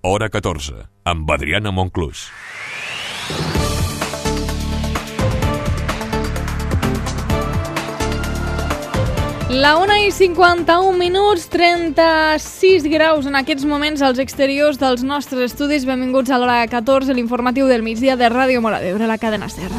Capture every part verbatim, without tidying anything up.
Hora catorze, amb Adriana Monclús. La una i cinquanta-un minuts, trenta-sis graus en aquests moments als exteriors dels nostres estudis. Benvinguts a l'Hora catorze, l'informatiu del migdia de Ràdio Móra d'Ebre, la cadena SER.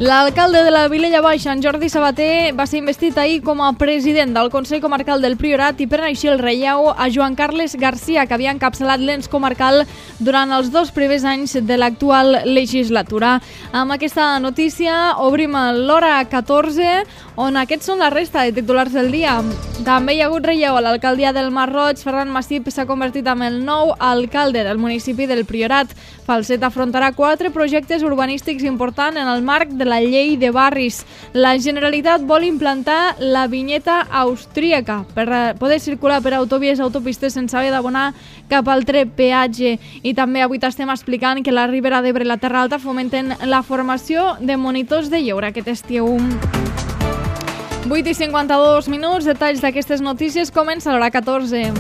L'alcalde de la Vilella Baixa, en Jordi Sabater, va ser investit ahir com a president del Consell Comarcal del Priorat i pren així el relleu a Joan Carles Garcia, que havia encapçalat l'ens comarcal durant els dos primers anys de l'actual legislatura. Amb aquesta notícia obrim l'Hora catorze, on aquests són la resta de titulars del dia. També hi ha hagut relleu a l'alcaldia del Masroig. Ferran Massip s'ha convertit en el nou alcalde del municipi del Priorat. Falset afrontarà quatre projectes urbanístics importants en el marc de la llei de barris. La Generalitat vol implantar la vinyeta austríaca per poder circular per autovies i autopistes sense haver d'abonar cap altre peatge. I també avui t'estem explicant que la Ribera d'Ebre i la Terra Alta fomenten la formació de monitors de lleure aquest estiu. vuit i cinquanta-dos minuts, detalls d'aquestes notícies, comença l'Hora catorze.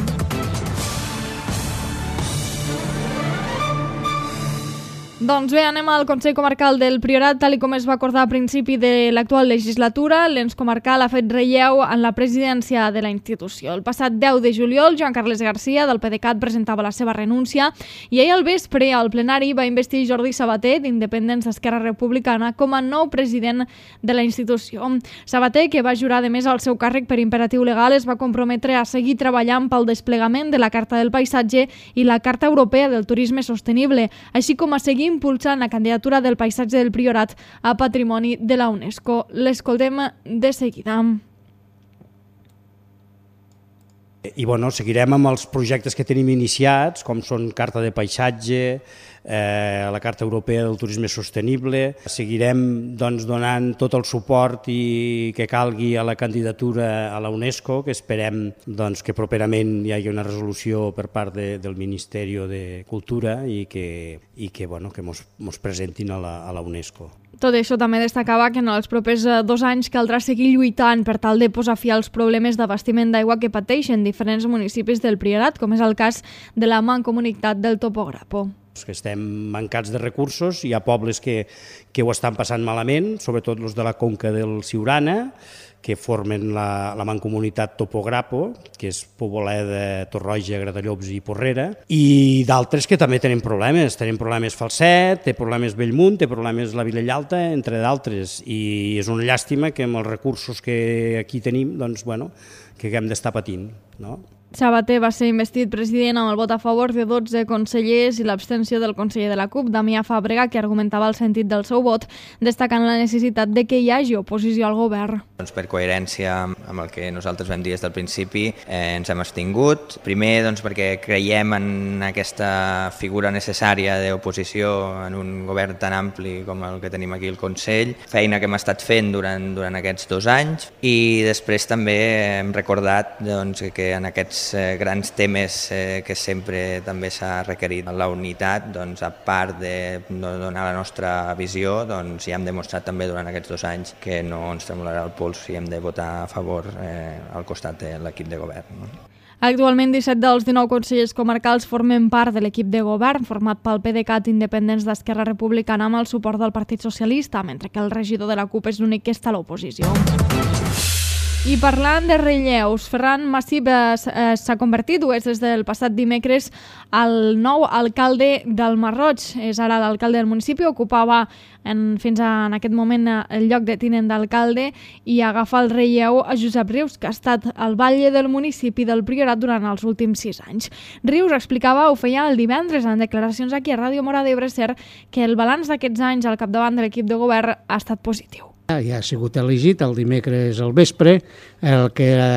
Doncs bé, anem al Consell Comarcal del Priorat, tal com es va acordar a principi de l'actual legislatura. L'ens comarcal ha fet relleu en la presidència de la institució. El passat deu de juliol, Joan Carles Garcia, del PDeCAT, presentava la seva renúncia i ahir al vespre, al plenari, va investir Jordi Sabater, d'Independents d'Esquerra Republicana, com a nou president de la institució. Sabater, que va jurar de més al seu càrrec per imperatiu legal, es va comprometre a seguir treballant pel desplegament de la Carta del Paisatge i la Carta Europea del Turisme Sostenible, així com a seguir impulsant la candidatura del paisatge del Priorat a Patrimoni de la UNESCO. L'escoltem de seguida. I bueno, seguirem amb els projectes que tenim iniciats, com són Carta de Paisatge, eh, la Carta Europea del Turisme Sostenible. Seguirem doncs, donant tot el suport i que calgui a la candidatura a la UNESCO, que esperem doncs, que properament hi hagi una resolució per part de, del Ministeri de Cultura i que, i que, bueno, que mos, mos presentin a la, a la UNESCO. Tot això també destacava que en els propers dos anys caldrà seguir lluitant per tal de posar fi als problemes d'abastiment d'aigua que pateixen diferents municipis del Priorat, com és el cas de la Mancomunitat del Topograpo. Que estem mancats de recursos, hi ha pobles que, que ho estan passant malament, sobretot els de la conca del Siurana, que formen la, la Mancomunitat Topograpo, que és Poboleda, Torroja, Gratallops i Porrera, i d'altres que també tenen problemes. Tenen problemes Falset, té problemes Bellmunt, té problemes la Vilella Alta, entre d'altres, i és una llàstima que amb els recursos que aquí tenim, doncs, bueno, que haguem d'estar patint, no? Sabater va ser investit president amb el vot a favor de dotze consellers i l'abstenció del conseller de la CUP, Damià Fàbrega, que argumentava el sentit del seu vot, destacant la necessitat de que hi hagi oposició al govern. Doncs per coherència amb el que nosaltres vam dir des del principi, eh, ens hem abstingut. Primer, doncs, perquè creiem en aquesta figura necessària d'oposició en un govern tan ampli com el que tenim aquí al Consell, feina que hem estat fent durant, durant aquests dos anys, i després també hem recordat doncs, que en aquests grans temes eh, que sempre també s'ha requerit la unitat, doncs, a part de donar la nostra visió, doncs, ja hem demostrat també durant aquests dos anys que no ens tremolarà el pols i hem de votar a favor eh, al costat de l'equip de govern. No? Actualment, disset dels dinou consellers comarcals formen part de l'equip de govern format pel PDeCAT Independents d'Esquerra Republicana amb el suport del Partit Socialista, mentre que el regidor de la CUP és l'únic que està a l'oposició. I parlant de relleus, Ferran Massip s'ha convertit, o és des del passat dimecres, el nou alcalde del Masroig. És ara l'alcalde del municipi, ocupava en, fins a, en aquest moment el lloc de tinent d'alcalde i agafa el relleu a Josep Rius, que ha estat al batlle del municipi del Priorat durant els últims sis anys. Rius explicava, ho feia el divendres en declaracions aquí a Ràdio Móra d'Ebre, que el balanç d'aquests anys al capdavant de l'equip de govern ha estat positiu. Ja ha sigut elegit el dimecres al vespre, el que era,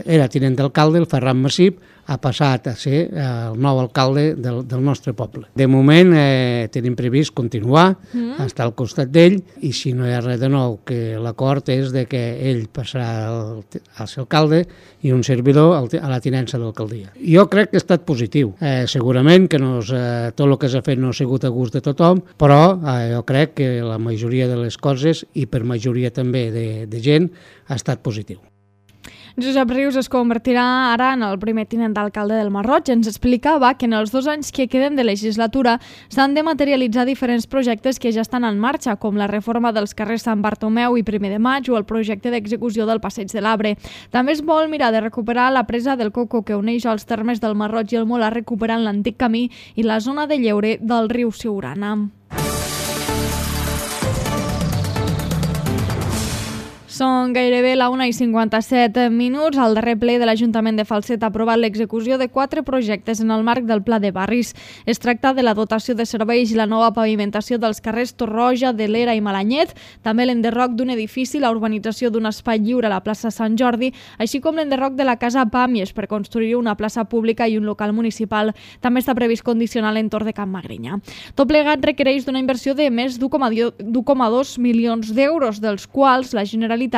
era tinent d'alcalde, el Ferran Massip, ha passat a ser el nou alcalde del, del nostre poble. De moment eh, tenim previst continuar, mm. estar al costat d'ell, i si no hi ha res de nou, que l'acord és de que ell passarà al, al ser alcalde i un servidor al, a la tinença d'alcaldia. Jo crec que ha estat positiu. Eh, segurament que no és, eh, tot el que s'ha fet no ha sigut a gust de tothom, però eh, jo crec que la majoria de les coses, i per majoria també de, de gent, ha estat positiu. Josep Rius es convertirà ara en el primer tinent d'alcalde del Masroig. Ens explicava que en els dos anys que queden de legislatura s'han de materialitzar diferents projectes que ja estan en marxa, com la reforma dels carrers Sant Bartomeu i primer de maig o el projecte d'execució del Passeig de l'Arbre. També es vol mirar de recuperar la presa del Coco, que uneix els termes del Masroig i el Molar, recuperant l'antic camí i la zona de lleure del riu Siurana. Són gairebé la una i cinquanta-set minuts. Al darrer ple de l'Ajuntament de Falset ha aprovat l'execució de quatre projectes en el marc del Pla de Barris. Es tracta de la dotació de serveis i la nova pavimentació dels carrers Torroja, de l'Era i Malanyet, també l'enderroc d'un edifici, la urbanització d'un espai lliure a la plaça Sant Jordi, així com l'enderroc de la Casa Pàmies per construir una plaça pública i un local municipal. També està previst condicionar l'entorn de Can Magrinya. Tot plegat requereix d'una inversió de més d'u coma dos milions d'euros, dels quals la Generalitat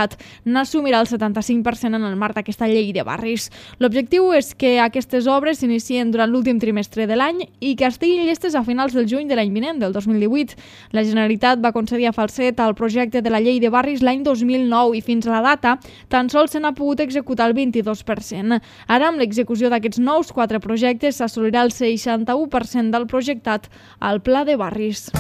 n'assumirà el setanta-cinc per cent en el marc d'aquesta llei de barris. L'objectiu és que aquestes obres s'inicien durant l'últim trimestre de l'any i que estiguin llestes a finals del juny de l'any vinent, del dos mil divuit. La Generalitat va concedir a Falset el projecte de la llei de barris l'any dos mil nou i fins a la data tan sols se n'ha pogut executar el vint-i-dos per cent. Ara, amb l'execució d'aquests nous quatre projectes, s'assolirà el seixanta-u per cent del projectat al Pla de Barris.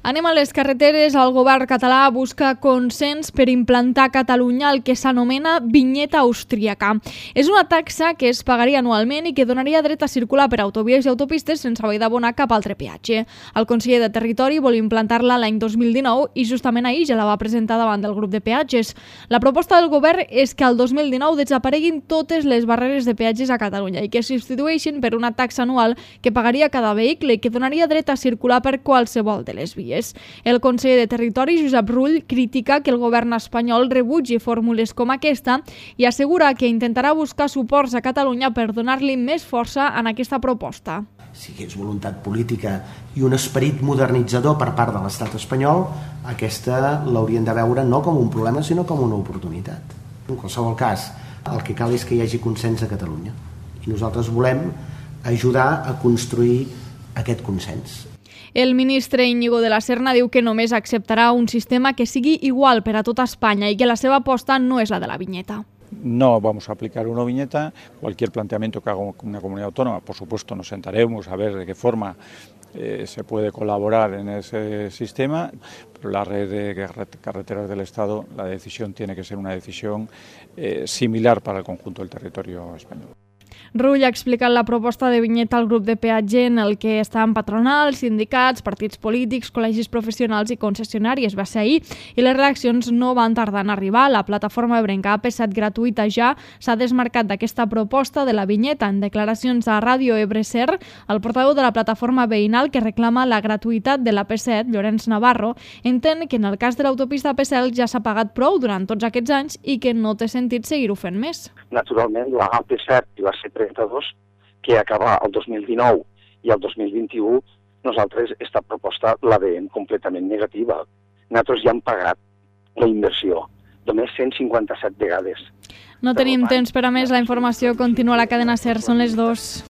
Anem a les carreteres. El govern català busca consens per implantar a Catalunya el que s'anomena vinyeta austríaca. És una taxa que es pagaria anualment i que donaria dret a circular per autovies i autopistes sense haver d'abonar cap altre peatge. El conseller de Territori vol implantar-la l'any dos mil dinou i justament ahir ja la va presentar davant del grup de peatges. La proposta del govern és que el dos mil dinou desapareguin totes les barreres de peatges a Catalunya i que es substitueixin per una taxa anual que pagaria cada vehicle i que donaria dret a circular per qualsevol de les vies. El conseller de Territori, Josep Rull, critica que el govern espanyol rebutgi fórmules com aquesta i assegura que intentarà buscar suports a Catalunya per donar-li més força en aquesta proposta. Si hi hagués voluntat política i un esperit modernitzador per part de l'estat espanyol, aquesta l'haurien de veure no com un problema, sinó com una oportunitat. En qualsevol cas, el que cal és que hi hagi consens a Catalunya. I nosaltres volem ajudar a construir aquest consens. El ministre Íñigo de la Serna diu que només acceptarà un sistema que sigui igual per a tota Espanya i que la seva aposta no és la de la viñeta. No vamos a aplicar una viñeta. Cualquier planteamiento que haga una comunidad autónoma, por supuesto, nos sentaremos a ver de qué forma eh, se puede colaborar en ese sistema, pero la red de carreteras del Estado, la decisión tiene que ser una decisión eh, similar para el conjunto del territorio español. Rull ha explicat la proposta de vinyeta al grup de peatge en el que estan patronals, sindicats, partits polítics, col·legis professionals i concessionàries. Va ser ahir i les reaccions no van tardar en arribar. La plataforma ebrenca A P set gratuïta ja s'ha desmarcat d'aquesta proposta de la vinyeta. En declaracions a Ràdio Ebre-Ser, el portaveu de la plataforma veïnal que reclama la gratuïtat de l'A P set, Llorenç Navarro, entén que en el cas de l'autopista A P set ja s'ha pagat prou durant tots aquests anys i que no té sentit seguir-ho fent més. Naturalment, la A P set va ser trenta-dos, que acaba el dos mil dinou i el dos mil vint-i-u, nosaltres aquesta proposta la veiem completament negativa. Nosaltres ja hem pagat la inversió, només cent cinquanta-set vegades. No tenim temps per a més, la informació continua a la cadena SER, són les dues.